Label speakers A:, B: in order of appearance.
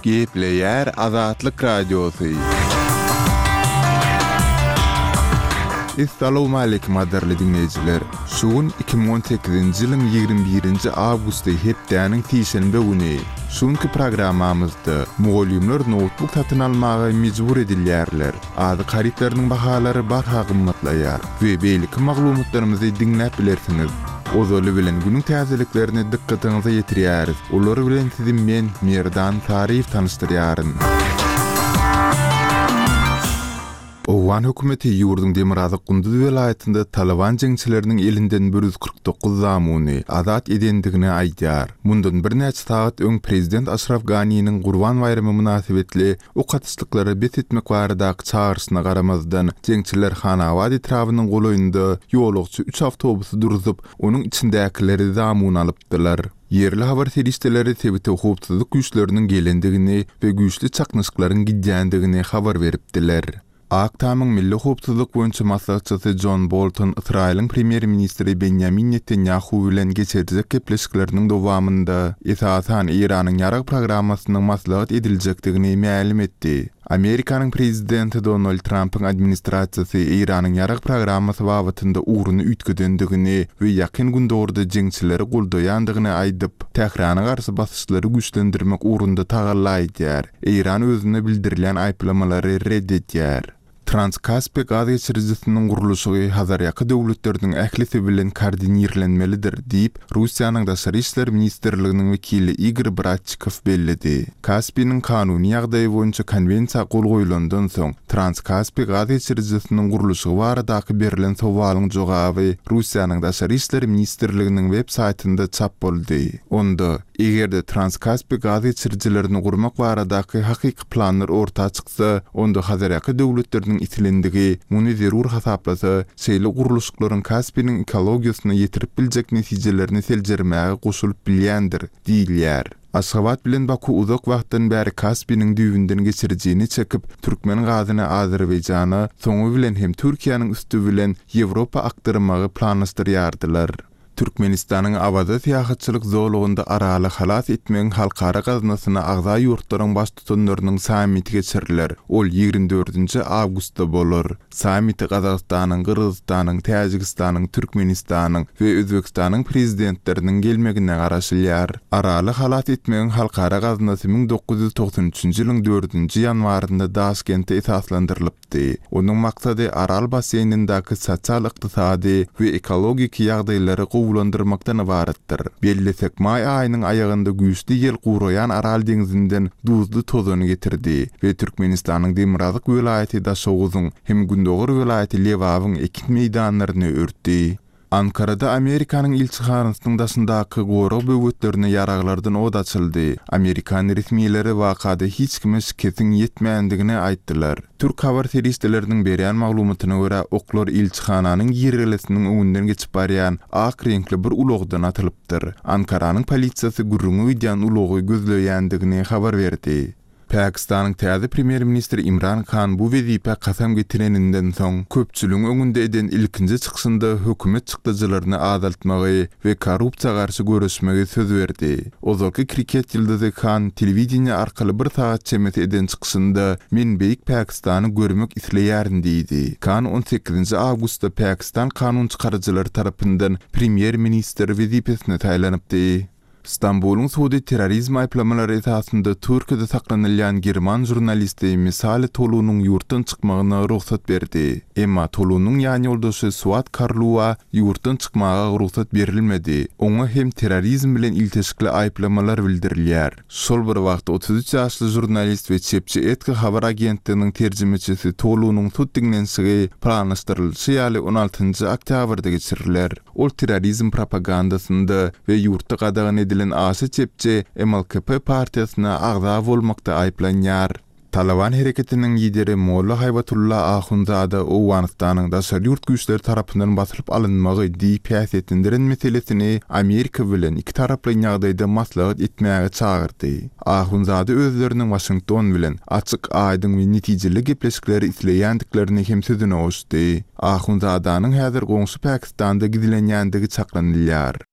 A: Gepleýär Azatlyk Radiosy. Essalawmaleýkim gadyrly diňleýjiler! Şu gün 2018-nji ýylyň 21-nji awgusty hepdäniň sişenbe güni. Şu günki programmamyzda mugallymlar noutbuk satyn almaga mejbur edilýärler, azyk harytlarynyň bahalary barha gymmatlaýar we beýleki maglumatlarymyzy diňläp bilersiňiz. Ozaly bilen günüň täzeliklerini dykgatyňyza ýetirýäris. Olar bilen sizi men, Merdan Saryýew tanyşdyrýaryn. Owgan hökümeti ýurduň demirgazyk Gunduz welaýatynda Talyban jeňçileriniň elinden 149 zamuny azat edendigini aýdýar. Mundan birnäçe sagat öň prezident Aşraf Ganiniň Gurban baýramy mynasybetli ok atyşlyklary bes etmek baradaky çagyryşyna garamazdan, jeňçiler Hanabad etrabynyň golaýynda ýolagçy üç awtobusy durzup, onuň içindäkileri zamun alypdylar. Ýerli habar serişdeleri sebite howpsuzlyk güýçleriniň gelendigini we güýçli çaknyşyklaryň gidýändigini habar beripdiler. Ak Tamyň milli howpsuzlyk boýunça maslahatçysy Jon Bolton Ysraýylyň premýer-ministri Benýamin Netanýahu bilen geçirjek gepleşikleriniň dowamynda, esasan, Eýranyň ýarag programmasynyň maslahat ediljekdigini mälim etdi. Amerikanyň prezidenti Donald Trampyň administrasiýasy Eýranyň ýarag programmasy babatynda ugruny üýtgedendigini we Ýakyn Gündogarda jeňçileri goldaýandygyny aýdyp, Tährana garşy basyşlary güýçlendirmek ugrunda tagalla edýär. Eýran özüne bildirilýän aýyplamalary red edýär. Trans-Kaspi gaz geçirijisiniň gurluşygy Hazarýaka döwletleriniň ählisi bilen koordinirlenmelidir diýip, Russiýanyň Daşary işler ministrliginiň wekili Igor Bratçikow belledi. Kaspiniň kanuny ýagdaýy boýunça konwensiýa gol goýlandan soň, Trans-Kaspi gaz geçirijisiniň gurluşygy baradaky berlen sowalyň jogaby Russiýanyň Daşary işler ministrliginiň web saýtynda çap boldy. Onda, Eger-de Transkaspi gaz geçirijilerini gurmak baradaky hakyky planlar orta çyksa, onda Hazarýaka döwletleriniň islendigi muny zerur hasaplasa, şeýle gurluşyklaryň Kaspiniň ekologiýasyna ýetirip biljek netijelerini seljermäge goşulyp bilýändir diýilýär. Aşgabat bilen Baku uzak wagtdan bäri Kaspiniň düýbünden geçirijini çekip, türkmen gazyny Azerbaýjana, soňy bilen hem Türkiýäniň üsti bilen Ýewropa akdyrmagy planlaşdyrýardylar. Türkmenistanyň Awaza syýahatçylyk zolagynda Araly halas etmegiň halkara gaznasyna agza ýurtlaryň Baştutanlarynyň sammiti geçiriler. Ol 24 nji awgustda bolar. Sammite Gazagystanyň, Gyrgyzystanyň, Täjigistanyň, Türkmenistanyň we Özbegistanyň Prezidentleriniň gelmegine garaşylýar. Araly halas etmegiň halkara gaznasy 1993 nji ýylyň dördünji ýanwarynda Daşkentde esaslandyrylypdy. çykdy. Onuň maksady Aral basseýnindäki sosial-ykdysady we ekologik ýagdaýlary gowulandyrmakdan ybaratdyr. Bellesek, maý aýynyň aýagynda güýçli ýel guraýan Aral deňzinden duzly tozany getirdi we Türkmenistanyň demirgazyk welaýaty Daşoguzyň hem gündogar welaýaty Lebabyň ekin meýdanlaryny örtdi. Ankarada Amerikanyň ilçihanasynyň daşyndaky gorag böwetlerine ýaraglardan ot açyldy. Amerikan resmileri wakada hiç kime şikesiň ýetmändigini aýtdylar. Türk habar serişdeleriniň berýän maglumatyna görä, oklar ilçihananyň girelgesiniň öňünden geçip barýan ak reňkli bir ulagdan atylypdyr. Ankaranyň polisiýasy gürrüňi gidýän ulagy gözleýändigini habar berdi. Pakistanyň täze premýer-ministri Imran Khan bu wezipä kasam getireninden soň, köpçüligiň öňünde eden ilkinji çykyşynda hökümet çykdajylaryny azaltmagy we korrupsiýa garşy göreşmegi söz berdi. Ozalky kriket ýyldyzy Khan telewideniýe arkaly bir sagat çemesi eden çykyşynda, Men beýik Pakistany görmek isleýärin diýdi. Khan on sekizinji awgustda Pakistan kanunçykaryjylary tarapyndan premýer-ministr wezipesine saýlanypdy. Stambulyň sudy terrorizm aýyplamalary esasynda Türkiýede saklanylýan german žurnalisti Misali Tolunyň ýurtdan çykmagyna rugsat berdi. Emma Tolunyň ýanýoldaşy Suat Karluwa ýurtdan çykmaga rugsat berilmedi. Oňa hem terrorizm bilen ilteşikli aýyplamalar bildirilýär. Şol bir wagtda 33 ýaşly žurnalist we çepçi Etki habar agentliginiň terjimeçisi Tolunyň sud diňlenişigi planlaşdyrylyşy ýaly on altynjy oktýabrda geçiriler. Ol terrorizm propagandasynda we ýurtda gadagan edilen aşa çepçi MLKP partiýasyna agza bolmakda aýyplanýar. Talyban hereketiniň lideri Molla Haýbatulla Ahunzada Owganystanyň daşary ýurt güýçleri tarapyndan basylyp alynmagy diýip häsiýetlendiren meselesini Amerika bilen ikitaraplaýyn ýagdaýda maslahat etmäge çagyrdy. Ahunzada özleriniň Waşington bilen açyk, aýdyň we netijeli gepleşikleri isleýändiklerini hem sözüne goşdy. Ahunzadanyň häzir goňşy Pakistanda gizlenýändigi çaklanylýar.